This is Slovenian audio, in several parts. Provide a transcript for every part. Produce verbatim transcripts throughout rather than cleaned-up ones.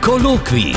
Kolokvij.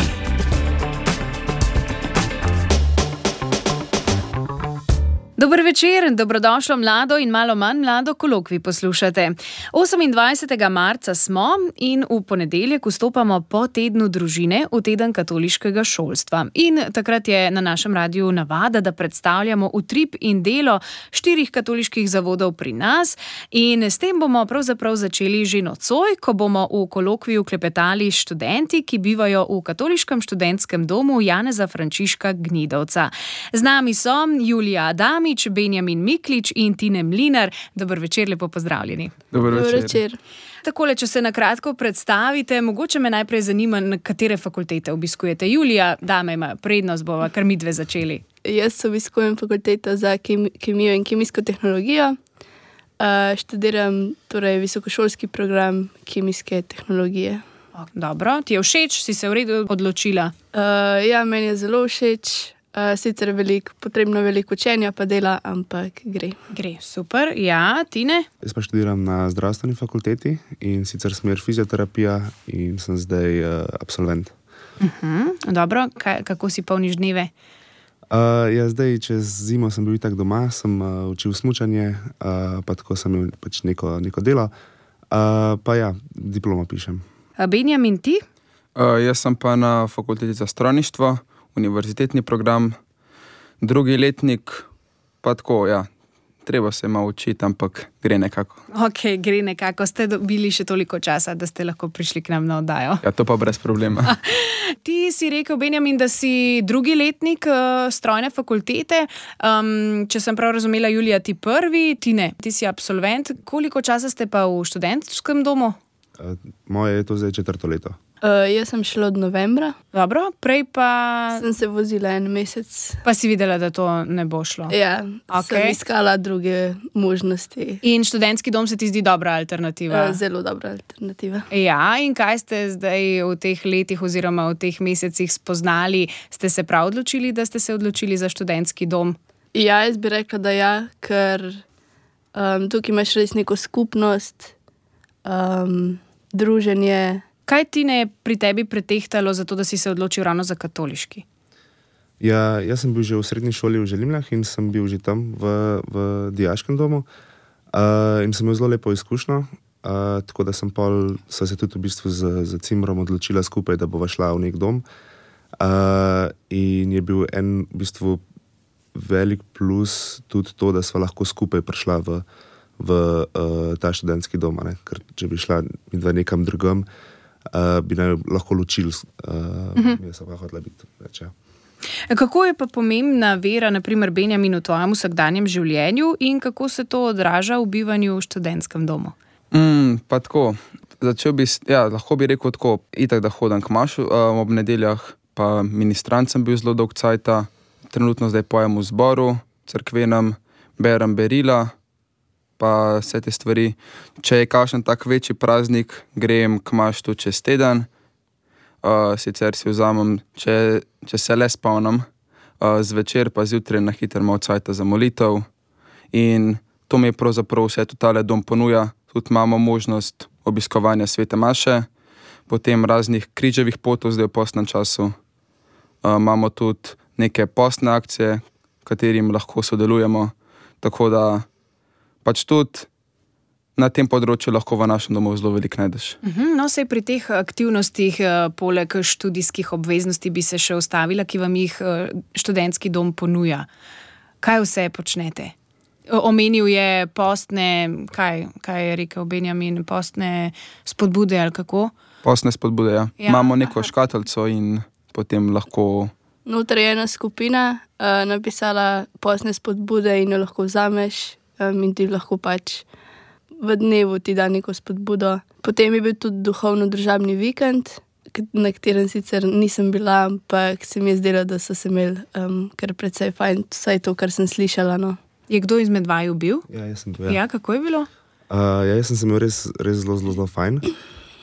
Dober večer, dobrodošlo mlado in malo manj mlado kolokvij poslušate. osemindvajsetega marca smo in v ponedeljek vstopamo po tednu družine v teden katoliškega šolstva. In takrat je na našem radiju navada, da predstavljamo utrip in delo štirih katoliških zavodov pri nas. In s tem bomo pravzaprav začeli že nocoj, ko bomo v kolokviju klepetali s študenti, ki bivajo v katoliškem študentskem domu Janeza Frančiška Gnidovca. Z nami so Julija Adamič, Benjamin Miklič in Tine Mlinar. Dober večer, lepo pozdravljeni. Dober večer. Dober večer. Takole, če se na kratko predstavite, mogoče me najprej zanima, na katere fakultete obiskujete. Julija, dame ima prednost, bova kar midve začeli. Jaz obiskujem fakulteto za kemi- kemijo in kemijsko tehnologijo. Uh, študiram torej visokošolski program kemijske tehnologije. O, dobro, ti je všeč? Si se v redu odločila? Uh, ja, meni je zelo všeč. Uh, sicer veliko, potrebno veliko učenja pa dela, ampak gre. Gre, super. Ja, Tine? Jaz pa študiram na zdravstveni fakulteti in sicer smer fizioterapija in sem zdaj uh, absolvent. Uh-huh. Dobro, Kaj, kako si polniš dneve? Uh, ja, zdaj, čez zimo sem bil itak doma, sem uh, učil smučanje, uh, pa tako sem imel pač neko, neko delo, uh, pa ja, diplomo pišem. A Benjamin, ti? Uh, jaz sem pa na fakulteti za strojništvo, univerzitetni program, drugi letnik, pa tako, ja, treba se malo učiti, ampak gre nekako. Ok, gre nekako. Ste dobili še toliko časa, da ste lahko prišli k nam na oddajo? Ja, to pa brez problema. Ti si rekel, Benjamin, da si drugi letnik uh, strojne fakultete. Um, če sem prav razumela, Julija, ti prvi, ti ne. Ti si absolvent. Koliko časa ste pa v študentskem domu? Uh, moje je to zdaj četrto leto. Uh, jaz sem šla od novembra. Dobro, prej pa... Sem se vozila en mesec. Pa si videla, da to ne bo šlo? Ja, okay. Sem iskala druge možnosti. In študentski dom se ti zdi dobra alternativa? Uh, zelo dobra alternativa. Ja, in kaj ste zdaj v teh letih oziroma v teh mesecih spoznali? Ste se prav odločili, da ste se odločili za študentski dom? Ja, jaz bi rekla, da ja, ker um, tukaj imaš res neko skupnost, um, druženje. Kaj ti ne pri tebi pretehtalo za to, da si se odločil ravno za katoliški? Ja, jaz sem bil že v srednji šoli v Želimljah in sem bil že tam v, v dijaškem domu uh, in sem imel zelo lepo izkušnjo, uh, tako da sem pol, sva se tudi v bistvu z, z Cimrom odločila skupaj, da bova šla v nek dom. Uh, in je bil en v bistvu velik plus tudi to, da sva lahko skupaj prišla v, v uh, ta študentski dom, ne? Ker če bi šla midva nekam drugam, Uh, bi naj lahko ločili, uh, uh-huh. Jaz pa hodila biti več. Ja. Kako je pa pomembna vera, naprimer Benjamin, v tvojem vsakdanjem življenju in kako se to odraža v bivanju v študentskem domu? Mm, pa tako, začel bi, ja, lahko bi rekel tako, itak da hodam k mašu um, ob nedeljah, pa ministrant sem bil zelo dolg cajta, trenutno zdaj pojem v zboru, cerkvenem, berem berila, pa vse te stvari. Če je kakšen tak večji praznik, grem k maštu čez teden, uh, sicer si vzamem, če, če se le spomnim, uh, zvečer pa zjutraj na hitro malo cajta za molitev in to mi je pravzaprav vse totale dom ponuja. Tudi imamo možnost obiskovanja svete maše, potem raznih križevih potov zdaj v postnem času. Uh, imamo tudi neke postne akcije, katerim lahko sodelujemo, tako da pač tudi na tem področju lahko v našem domu zelo veliko najdeš. No, sej pri teh aktivnostih, poleg študijskih obveznosti, bi se še ustavila, ki vam jih študentski dom ponuja. Kaj vse počnete? Omenil je postne, kaj, kaj je rekel Benjamin, postne spodbude ali kako? Postne spodbude, ja. ja. Imamo neko škatlico in potem lahko... Noter je ena skupina uh, napisala postne spodbude in jo lahko vzameš. Um, in ti lahko pač v dnevu ti da neko spodbudo. Potem je bil tudi duhovno-družabni vikend, na katerem sicer nisem bila, ampak se mi je zdelo, da so se imeli um, kar precej fajn, vsaj to, kar sem slišala. No. Je kdo izmed vaju bil? Ja, jaz sem bil. Ja, ja kako je bilo? Uh, ja, jaz sem se imel res, res zelo, zelo, zelo fajn.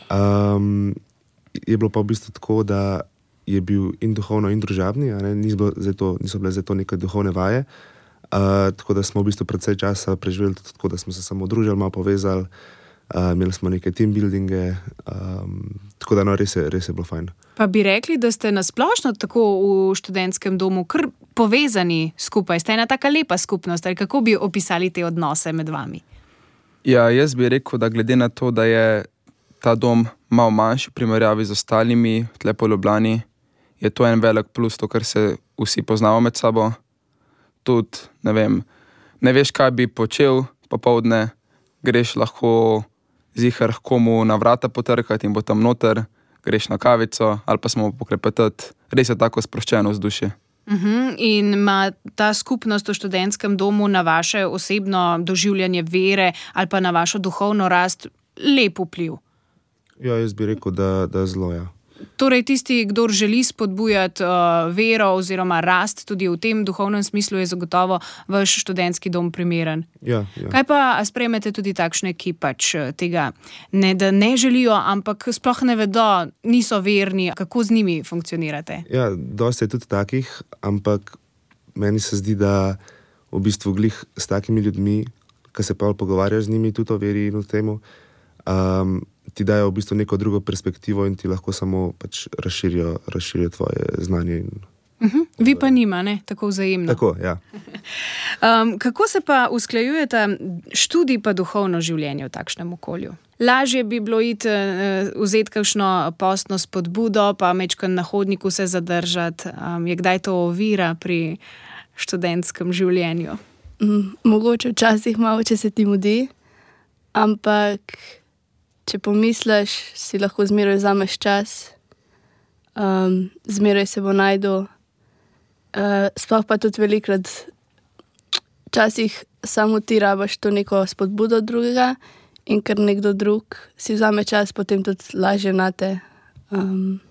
Um, je bilo pa v bistvu tako, da je bil in duhovno in družabni, niso bile zdaj to neke duhovne vaje. Uh, tako da smo v bistvu precej časa preživeli tako, da smo se samo družili, malo povezali, uh, imeli smo neke team buildinge, um, tako da no, res je, res je bilo fajn. Pa bi rekli, da ste nasplošno tako v študentskem domu kar povezani skupaj, ste ena taka lepa skupnost, ali kako bi opisali te odnose med vami? Ja, jaz bi rekel, da glede na to, da je ta dom malo manjši v primerjavi z ostalimi, tle po Ljubljani, je to en velik plus, to, ker se vsi poznamo med sabo. Tudi, ne vem, ne veš, kaj bi počel popoldne, greš lahko zihar komu na vrata potrkati in bo tam noter, greš na kavico ali pa smo poklepetati. Res je tako sproščeno vzdušje. Uh-huh. In ima ta skupnost v študentskem domu na vaše osebno doživljanje vere ali pa na vašo duhovno rast lep vpliv? Ja, jaz bi rekel, da, da zelo, ja. Torej, tisti, kdor želi spodbujati uh, vero oziroma rast tudi v tem duhovnem smislu, je zagotovo vaš študentski dom primeren. Ja, ja. Kaj pa, a sprejmete tudi takšne, ki pač tega ne, da ne želijo, ampak sploh ne vedo, niso verni, kako z njimi funkcionirate? Ja, dosti je tudi takih, ampak meni se zdi, da v bistvu glih s takimi ljudmi, ki se pa pogovarjaš z njimi tudi o veri in o temu, um, ti dajo v bistvu neko drugo perspektivo in ti lahko samo pač razširijo, razširijo tvoje znanje. In... Uh-huh. Vi pa nima, ne? Tako vzajemno. Tako, ja. Um, kako se pa usklajujete študij pa duhovno življenje v takšnem okolju? Lažje bi bilo iti, uh, vzeti kakšno postno spodbudo, pa mečkaj na hodniku se zadržati. Um, je kdaj to ovira pri študentskem življenju? Mm, mogoče včasih malo, če se ti mudi, ampak če pomisliš, si lahko zmeraj vzameš čas, um, zmeraj se bo najdel. Uh, sploh pa tudi velikrat, včasih samo ti rabaš to neko spodbudo drugega in ker nekdo drug si vzame čas, potem tudi lažje na te um,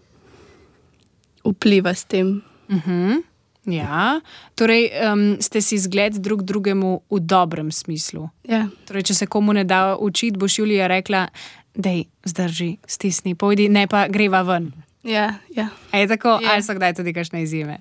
vpliva s tem. Uh-huh. Ja, torej um, ste si zgled drug drugemu v dobrem smislu. Ja. Torej, če se komu ne da učiti, boš Julija rekla, dej, zdrži, stisni, pojdi, ne pa greva ven. Ja, ja. A je tako, Ja. ali so kdaj tudi kakšne izjeme?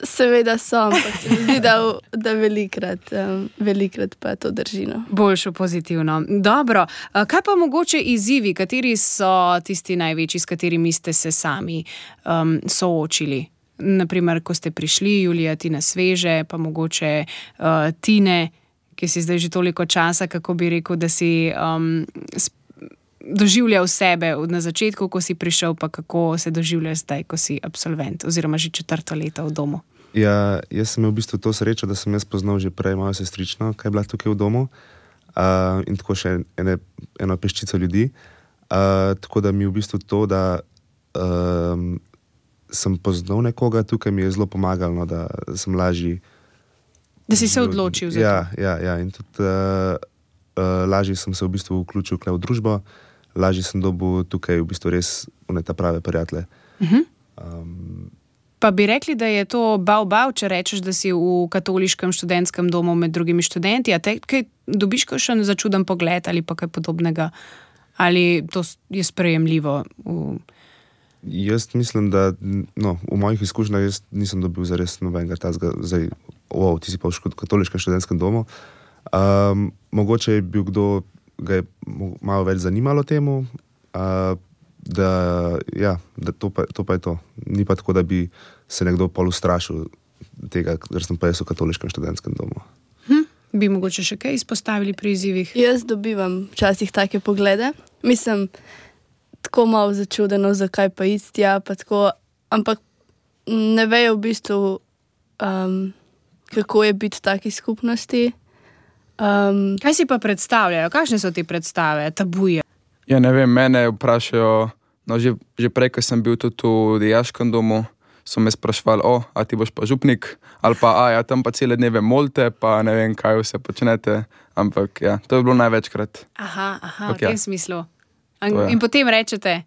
Seveda so, ampak se mi zdi, da, da velikrat, um, velikrat pa to drži. No. Boljšo pozitivno. Dobro, kaj pa mogoče izzivi, kateri so tisti največji, s katerimi ste se sami um, soočili? Naprimer, ko ste prišli, Julija, ti na sveže, pa mogoče uh, Tine, ki si zdaj že toliko časa, kako bi rekel, da si um, doživljal sebe na začetku, ko si prišel, pa kako se doživljaš zdaj, ko si absolvent, oziroma že četrto leto v domu. Ja, jaz sem imel v bistvu to srečo, da sem jaz poznal že prej mojo sestrično, kaj je bila tukaj v domu, uh, in tako še ene, eno peščico ljudi. Uh, tako da mi v bistvu to, da um, sem poznal nekoga tukaj, mi je zelo pomagalo, no, da sem lažji. Da si se odločil za ja, to. Ja, ja, in tudi uh, uh, lažje sem se v bistvu vključil v družbo, lažje sem dobil tukaj v bistvu res ta prave prijatelje. Uh-huh. Um, Pa bi rekli, da je to bav-bav, če rečeš, da si v katoliškem študentskem domu med drugimi študenti, a te kaj dobiš kakšen začuden pogled ali pa kaj podobnega? Ali to je sprejemljivo? V... Jaz mislim, da no, v mojih izkušnjah jaz nisem dobil zares nobenega tazga, zdaj, wow, ti si pa v katoliškem študentskem domu. Um, mogoče je bil kdo, ga je malo več zanimalo temu, uh, da, ja, da to, pa, to pa je to. Ni pa tako, da bi se nekdo pol ustrašil tega, ker sem pa jaz v katoliškem študentskem domu. Hm, bi mogoče še kaj izpostavili pri izzivih? Jaz dobivam včasih take poglede. Mislim, tako malo začudeno, zakaj pa istja, pa tako, ampak ne vejo v bistvu, um, kako je biti v taki skupnosti. Um, Kaj si pa predstavljajo? Kakšne so te predstave, tabuje? Ja, ne vem, mene vprašajo, no, že, že prej, ko sem bil tudi v dijaškem domu, so me sprašvali, o, a ti boš pa župnik, ali pa, a ja, tam pa cele dneve molte, pa ne vem, kaj vse počnete, ampak ja, to je bilo največkrat. Aha, aha, Okay. v tem smislu. In, To je. in potem rečete,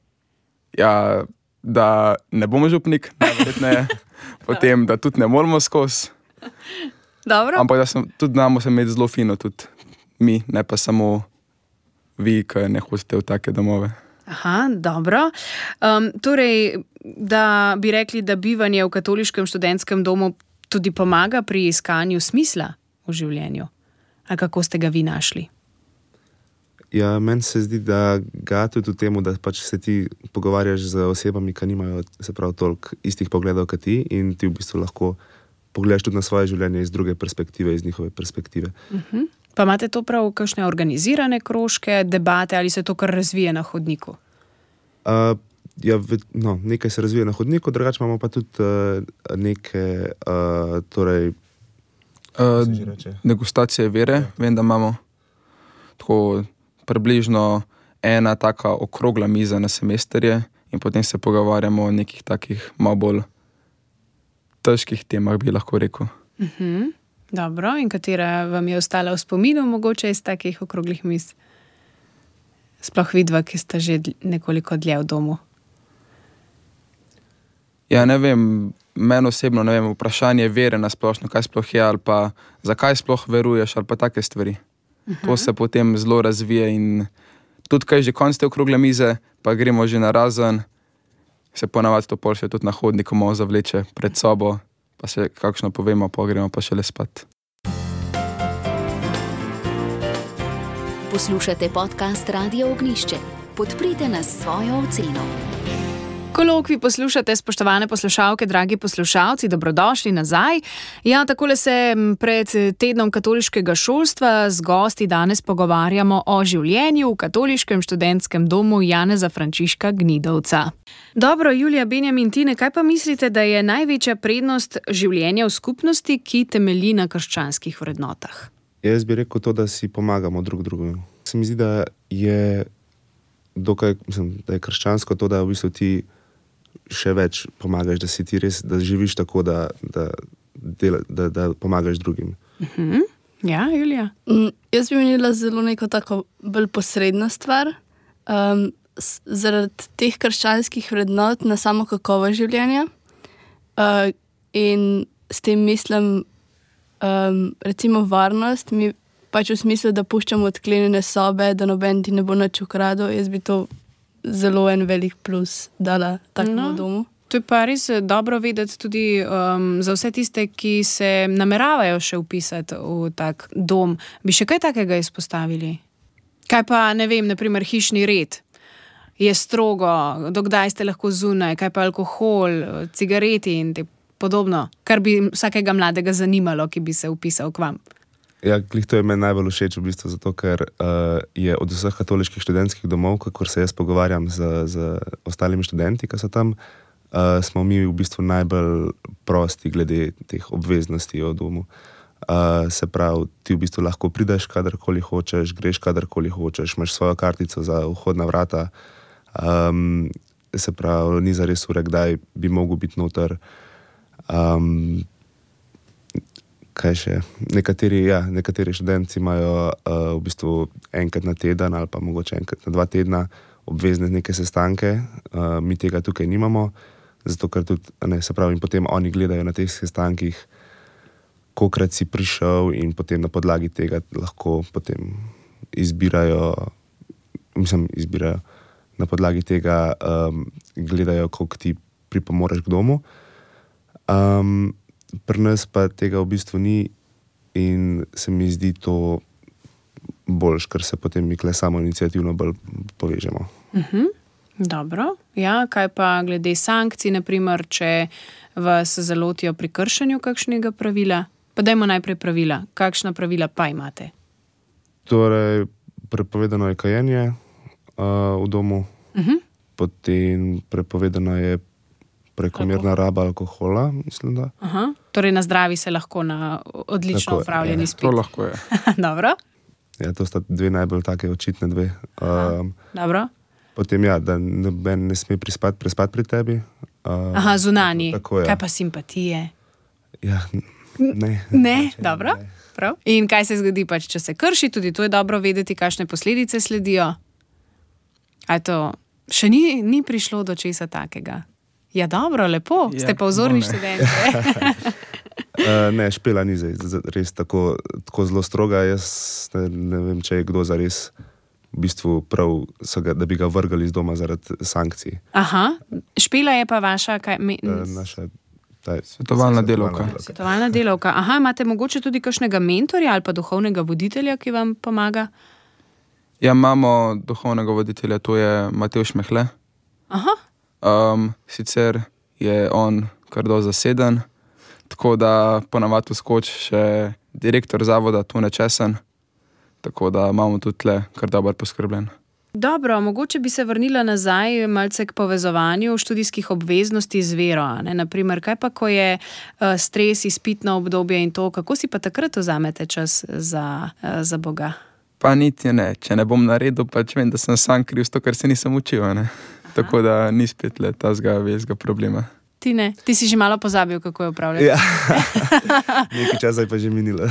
Ja, da ne bomo župnik, najverjetneje, potem, da tudi ne moramo skozi, dobro? ampak da sem, tudi znamo se imeti zelo fino, tudi mi, ne pa samo vi, ki ne hodite v take domove. Aha, dobro. Um, torej, da bi rekli, da bivanje v katoliškem študentskem domu tudi pomaga pri iskanju smisla v življenju. A kako ste ga vi našli? Ja, meni se zdi, da ga tudi v tem, da pač se ti pogovarjaš z osebami, ki nimajo se prav toliko istih pogledov kot ti in ti v bistvu lahko pogledaš tudi na svoje življenje iz druge perspektive, iz njihove perspektive. Uh-huh. Pa imate to prav kakšne organizirane krožke, debate ali se to kar razvije na hodniku? Uh, ja, no, nekaj se razvije na hodniku, drugače imamo pa tudi uh, neke uh, torej, uh, degustacije vere. Ja. Vem, da imamo tako približno ena taka okrogla miza na semesterje in potem se pogovarjamo o nekih takih malo bolj težkih temah, bi lahko rekel. Uh-huh. Dobro, in katera vam je ostala v spominu mogoče iz takih okroglih miz? Sploh vidva, ki sta že nekoliko dlje v domu. Ja, ne vem, meni osebno, ne vem, vprašanje vere na splošno, kaj sploh je, ali pa zakaj sploh veruješ, ali pa take stvari. Uh-huh. To se potem zelo razvije in tudi, kaj že konc te okrogle mize, pa gremo že na razen, se ponavadi to pol še tudi na hodniku malo zavleče pred sobo, pa se kakšno povemo, pa gremo pa šele spat. Poslušate podcast Radio Ognjišče. Podprite nas s svojo oceno. Kolokvij poslušate, spoštovane poslušalke, dragi poslušalci, dobrodošli nazaj. Ja, takole se pred tednom katoliškega šolstva z gosti danes pogovarjamo o življenju v katoliškem študentskem domu Janeza Frančiška Gnidovca. Dobro, Julija, Benjamin, Tine, kaj pa mislite, da je največja prednost življenja v skupnosti, ki temelji na krščanskih vrednotah? Jaz bi rekel to, da si pomagamo drug drugemu. Se mi zdi, da je dokaj, mislim, da je krščansko to, da v bistvu ti še več pomagaš, da si ti res, da živiš tako, da, da, dela, da, da pomagaš drugim. Uh-huh. Ja, Julija? Mm, jaz bi menila zelo neko tako bolj posredna stvar. Um, s, zaradi teh krščanskih vrednot na samo kakovost življenja. Uh, in s tem mislim um, recimo varnost, mi pač v smislu, da puščamo odklenjene sobe, da noben ti ne bo nič ukradel. Jaz bi to zelo en velik plus dala takemu no, domu. To je pa res dobro vedeti tudi um, za vse tiste, ki se nameravajo še vpisati v tak dom. Bi še kaj takega izpostavili? Kaj pa, ne vem, naprimer hišni red? Je strogo, dokdaj ste lahko zunaj, kaj pa alkohol, cigareti in te podobno, kar bi vsakega mladega zanimalo, ki bi se vpisal k vam. Ja, glih to je meni najbolj všeč v bistvu, zato ker uh, je od vseh katoliških študentskih domov, kakor se jaz pogovarjam z, z ostalimi študenti, ki so tam, uh, smo mi v bistvu najbolj prosti glede teh obveznosti o domu. Uh, se pravi, ti v bistvu lahko prideš kadarkoli hočeš, greš kadarkoli hočeš, imaš svojo kartico za vhod na vrata, um, se pravi, ni zares ure, kdaj bi mogel biti noter. Um, kaj še, nekateri, ja, nekateri študenti imajo uh, v bistvu enkrat na teden ali pa mogoče enkrat na dva tedna obvezne neke sestanke, uh, mi tega tukaj nimamo, zato ker tudi, ne, se pravi, in potem oni gledajo na teh sestankih, kolikrat si prišel in potem na podlagi tega lahko potem izbirajo, mislim, izbirajo, na podlagi tega um, gledajo, koliko ti pripomoreš k domu. Um, Pri nas pa tega v bistvu ni in se mi zdi to boljš, ker se potem mi kle samo iniciativno bolj povežemo. Uh-huh. Dobro. Ja, kaj pa glede sankcij, naprimer, če vas zalotijo pri kršenju kakšnega pravila? Pa dajmo najprej pravila. Kakšna pravila pa imate? Torej, prepovedano je kajenje uh, v domu, uh-huh. Potem prepovedano je prekomerna raba alkohola, mislim, da. Aha. Torej na zdravi se lahko na odlično upravljeni spit. To lahko je. Dobro. Ja, to sta dve najbolj take očitne dve. Um, Dobro. Potem ja, da noben ne sme prispati, prespati pri tebi. Um, Aha, zunanji. Tako, ja. Kaj pa simpatije? Ja, ne. Ne, dobro. Ne. Prav. In kaj se zgodi pač, če se krši, tudi to je dobro vedeti, kakšne posledice sledijo. A to še ni, ni prišlo do česa takega? Ja, dobro, lepo. Ja, ste pa vzorni študenti. uh, ne, Špela ni zdaj res tako, tako zelo stroga. Jaz ne, ne vem, če je kdo zares v bistvu prav, ga, da bi ga vrgali iz doma zaradi sankcij. Aha, Špela je pa vaša kaj? Me, uh, naša taj, svetovalna delavka. Svetovalna delavka. Aha, imate mogoče tudi kakšnega mentorja ali pa duhovnega voditelja, ki vam pomaga? Ja, imamo duhovnega voditelja, to je Matevž Mehle. Aha. Um, sicer je on kar do zaseden, tako da ponavadi skoči še direktor zavoda Tone Česen, tako da imamo tudi tle kar dobro poskrbljen. Dobro, mogoče bi se vrnila nazaj malce k povezovanju študijskih obveznosti z vero. Ne? Naprimer, kaj pa, ko je uh, stres, izpitno obdobje in to, kako si pa takrat vzamete čas za, uh, za Boga? Pa niti ne, če ne bom naredil, pač vem, da sem sam kriv s to, kar se nisem učil, ne? Tako da ni spet le tazga velikega problema. Ti ne, ti si že malo pozabil, kako je upravljati. Ja, nekaj časa je pa že minilo.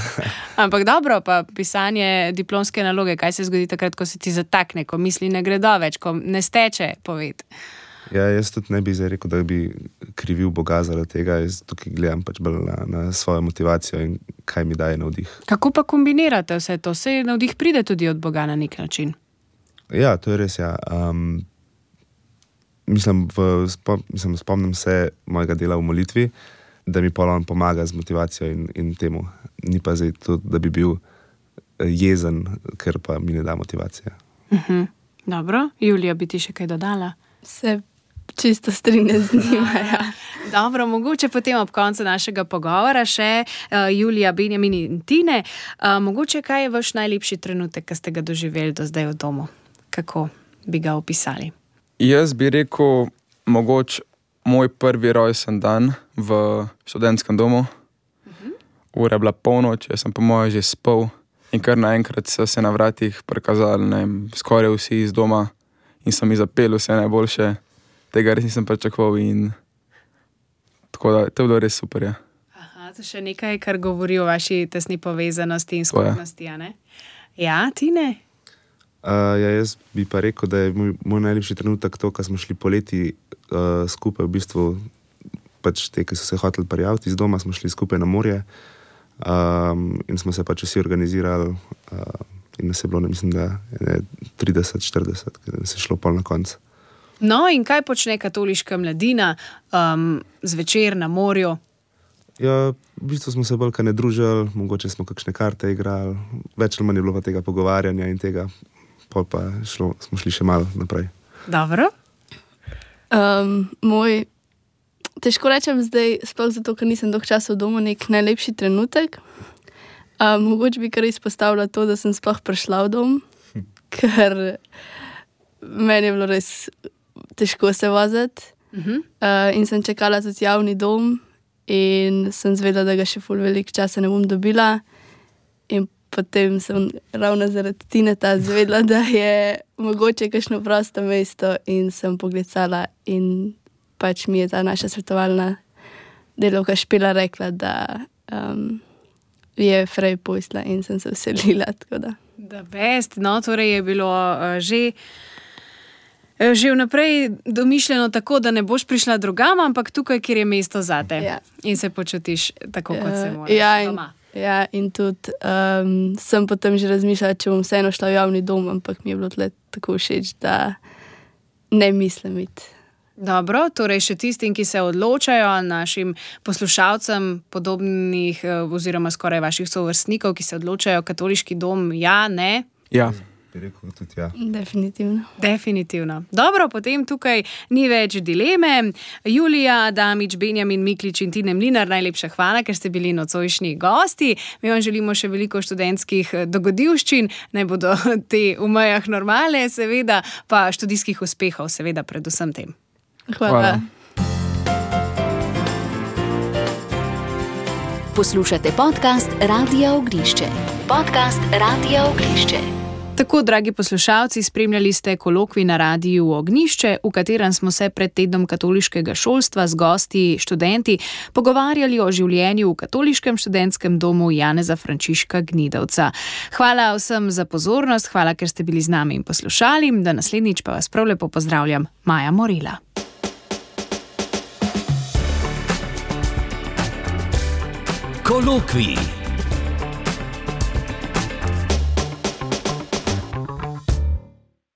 Ampak dobro, pa pisanje diplomske naloge, kaj se zgodi takrat, ko se ti zatakne, ko misli ne gredo več, ko ne steče poved? Ja, jaz tudi ne bi zdaj rekel, da bi krivil Boga zaradi tega, jaz tukaj gledam pač bolj na, na svojo motivacijo in kaj mi daje navdih. Kako pa kombinirate vse to? Saj navdih pride tudi od Boga na nek način. Ja, to je res, ja. Um, Mislim, v, spom, mislim, spomnim se mojega dela v molitvi, da mi pol on pomaga z motivacijo in, in temu. Ni pa zdaj to, da bi bil jezen, ker pa mi ne da motivacije. Uh-huh. Dobro, Julija, bi ti še kaj dodala? Se čisto strinja z njima, ja. Dobro, mogoče potem ob koncu našega pogovora še uh, Julija, Benjamin in Tine. Uh, mogoče kaj je vaš najlepši trenutek, ki ste ga doživeli do zdaj v domu? Kako bi ga opisali? Jaz bi rekel, mogoče moj prvi rojsten dan v študentskem domu. Uh-huh. Ura je bila polnoč, jaz sem po moje že spal in kar naenkrat so se na vratih prikazali, ne vem, skoraj vsi iz doma in so mi zapeli vse najboljše. Tega res nisem pričakoval in tako da, to je bilo res super, ja. Aha, to še nekaj, kar govori o vaši tesni povezanosti in skupnosti, a ne? Ja, Tine? Uh, ja, jaz bi pa rekel, da je moj, moj najlepši trenutek to, ko smo šli poleti uh, skupaj, v bistvu pač te, ki so se hoteli prijaviti iz doma, smo šli skupaj na morje um, in smo se pač vsi organizirali uh, in nas je bilo, ne mislim, da je trideset štirideset, ker se je šlo pol na konc. No in kaj počne katoliška mladina um, zvečer na morju? Ja, v bistvu smo se bolj kaj ne družili, mogoče smo kakšne karte igrali, več ali manj je bilo pa tega pogovarjanja in tega. Pol pa šlo, smo šli še malo naprej. Dobro. Um, moj, težko rečem zdaj, sploh zato, ker nisem dolgo časa v domu, nek najlepši trenutek. Um, mogoče bi kar izpostavila to, da sem sploh prišla v dom, hm. ker meni je bilo res težko se voziti. Uh-huh. Uh, in sem čakala tudi javni dom in sem zvedela, da ga še ful veliko časa ne bom dobila. In potem sem ravno zaradi Tineta zvedela, da je mogoče kakšno prosto mesto in sem pogledala in pač mi je ta naša svetovalna delavka Špela rekla, da um, je frej posla in sem se vselila, tako da. Da best, no, torej je bilo uh, že uh, že vnaprej domišljeno tako, da ne boš prišla drugam, ampak tukaj, kjer je mesto zate. Ja. In se počutiš tako, kot se moraš ja, doma. Ja, in tudi um, sem potem že razmišljala, če bom vseeno šla v javni dom, ampak mi je bilo tle tako všeč, da ne mislim iti. Dobro, torej še tistim, ki se odločajo, našim poslušalcem podobnih oziroma skoraj vaših sovrstnikov, ki se odločajo, katoliški dom, ja, ne? Ja. Bi rekel tudi ja. Definitivno. Definitivno. Dobro, potem tukaj ni več dileme. Julija, Damič, Benjamin, Miklič in Tine Mlinar, najlepša hvala, ker ste bili nocojšnji gosti. Mi vam želimo še veliko študentskih dogodivščin, naj bodo te v mejah normale, seveda, pa študijskih uspehov, seveda, predvsem tem. Hvala. Hvala. Poslušate podcast Radia Ognišče. Podcast Radia Ognišče. Tako, dragi poslušalci, spremljali ste kolokvij na Radiu Ognišče, v katerem smo se pred tednom katoliškega šolstva z gosti, študenti, pogovarjali o življenju v katoliškem študentskem domu Janeza Frančiška Gnidovca. Hvala vsem za pozornost, hvala, ker ste bili z nami in poslušali. Do naslednjič pa vas prav lepo pozdravljam, Maja Morila. Kolokvij.